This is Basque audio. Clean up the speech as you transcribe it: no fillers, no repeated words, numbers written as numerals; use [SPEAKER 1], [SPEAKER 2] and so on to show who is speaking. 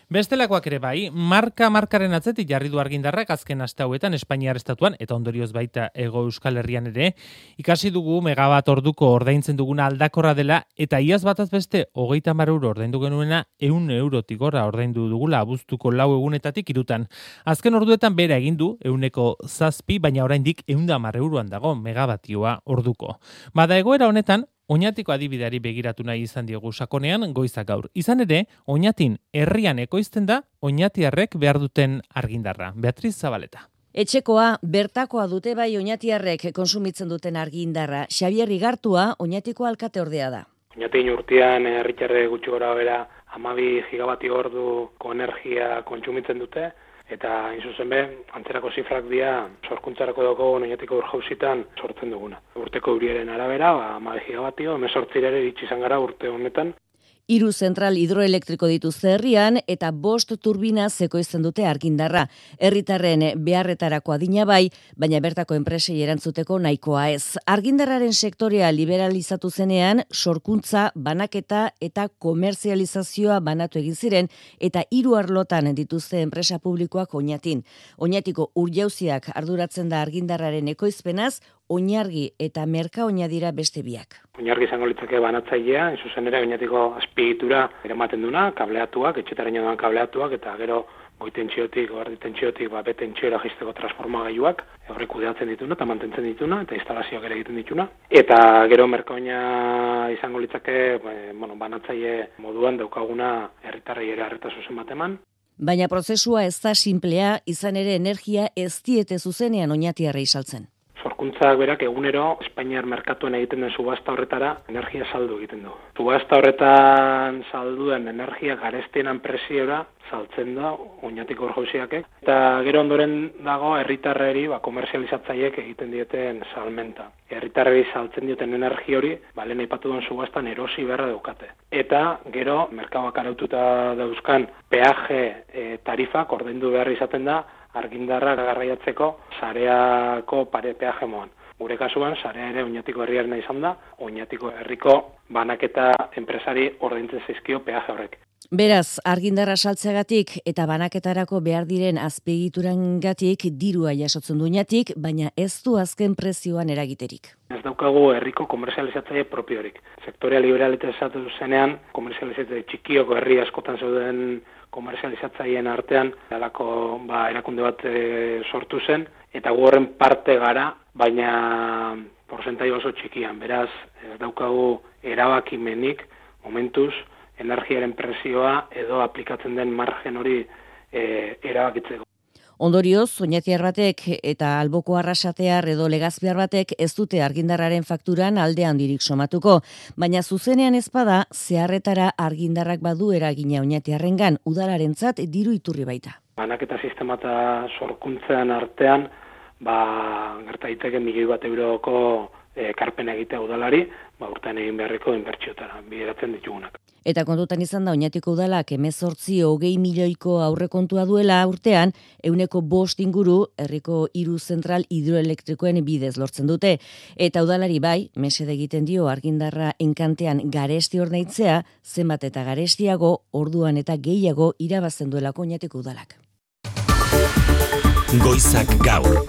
[SPEAKER 1] Bestelakoak ere bai, markaren atzetik jarri du argindarrak azken aste hauetan Espainiar estatuan eta ondorioz baita Hego Euskal Herrian ere, ikasi dugu megabat orduko ordaintzen duguna aldakorra dela eta iaz bataz beste 30 euro ordaindu genuena 100 eurotik gora ordaindu dugula abuztuko 4 egunetatik 3. Azken orduetan bera egin du 107, baina oraindik 110 euroan dago megabatioa orduko. Bada egoera honetan, Oñatiko adibideari begiratu nahi izan diogu sakonean goizak gaur. Izan ere, Oñatin herrian ekoizten da oñatiarrek behar duten argindarra. Beatriz Zabaleta.
[SPEAKER 2] Etxekoa, bertakoa dute bai oñatiarrek konsumitzen duten argindarra. Xabier Igartua Oñatiko alkateordea da.
[SPEAKER 3] Oñatin urtean herritarrek gutxi gora bera 12 gigabatio orduko energia kontsumitzen dute. Eta, zuzen be, antzerako zifrak dira sorkuntzarako dago Oñatiko urjauzitan sortzen duguna. Urteko euriaren arabera, 12 gigabatio, 18 ere iritsi izan gara urte honetan.
[SPEAKER 2] 3 zentral hidroelektriko dituzte herrian eta 5 turbina ekoizten dute argindarra. Herritarren beharretarako adina bai, baina bertako enpresei erantzuteko nahikoa ez. Argindarraren sektorea liberalizatu zenean, sorkuntza, banaketa eta komerzializazioa banatu egin ziren eta 3 arlotan dituzte enpresa publikoak Oñatin. Oñatiko urjauziak arduratzen da argindarraren ekoizpenaz, Oinargi eta Merkaoina dira beste biak.
[SPEAKER 3] Oinargi izango litzake banatzailea, zuzen ere Oñatiko azpiegitura eramaten duna, kableatuak, etxetaraino doan kableatuak, eta gero goitentsiotik, erditentsiotik, betentsioera jaisteko transformagailuak, horrek kudeatzen dituna eta mantentzen dituna, eta instalazioak ere egiten dituna. Eta gero Merkaoina izango litzake, banatzaile moduan daukaguna herritarrei ere arreta zuzen bat eman.
[SPEAKER 2] Baina prozesua ez da simplea, izan ere energia ez diete zuzenean oñatiarrei saltzen.
[SPEAKER 3] Sorkuntzak berak egunero Espainiar merkatuan egiten den subasta horretara energia saldu egiten du. Subasta horretan salduen energia garestienan presiora saltzen da Oñatiko urjauziak. Eta gero ondoren dago herritarreri komerzializatzaileek egiten dieten salmenta. Herritarreri saltzen dioten energia hori, lehen aipatu duen subastan erosi beharra daukate. Eta gero merkatuak araututa dauzkan peaje tarifak ordaindu behar izaten da argindarra garraiatzeko sareako peaje moan. Gure kasuan, sarea ere Oñatiko herriarena izan da, Oñatiko herriko banaketa enpresari ordaintzen zaizkio peaje horrek.
[SPEAKER 2] Beraz, argindarra saltzeagatik eta banaketarako behar diren azpiegiturangatik dirua jasotzen du Oñatik, baina ez du azken prezioan eragiterik.
[SPEAKER 3] Ez daukagu herriko komerzializatzaile propiorik. Sektorea liberalizatu zenean, komerzializatzaile txikioko herri askotan zeuden komerzializatzaileen artean halako erakunde bat sortu zen eta gu horren parte gara, baina porzentai oso txikian. Beraz, ez daukagu erabakimenik momentuz energiaren presioa edo aplikatzen den margen hori erabakitzeko.
[SPEAKER 2] Ondorioz, oñatiar batek eta alboko arrasatear edo legazpiar batek ez dute argindarraren fakturan alde handirik somatuko, baina zuzenean ezpada zeharretara argindarrak badu eragina oñatiarrengan udalarentzat diru iturri baita.
[SPEAKER 3] Banaketa sistema eta sorkuntzan artean, gerta daiteke 1.000.000 euroko ekarpena egitea udalari, urtean egin beharreko inbertsiotara bideratzen ditugunak.
[SPEAKER 2] Eta kontutan izan da Oñatiko udalak 18-20 milioiko aurrekontua duela urtean, 105 inguru herriko 3 zentral hidroelektrikoen bidez lortzen dute. Eta udalari bai, mesede egiten dio argindarra enkantean garesti ordaintzea, zenbat eta garestiago, orduan eta gehiago irabazten duelako Oñatiko udalak.
[SPEAKER 4] Goizak gaur.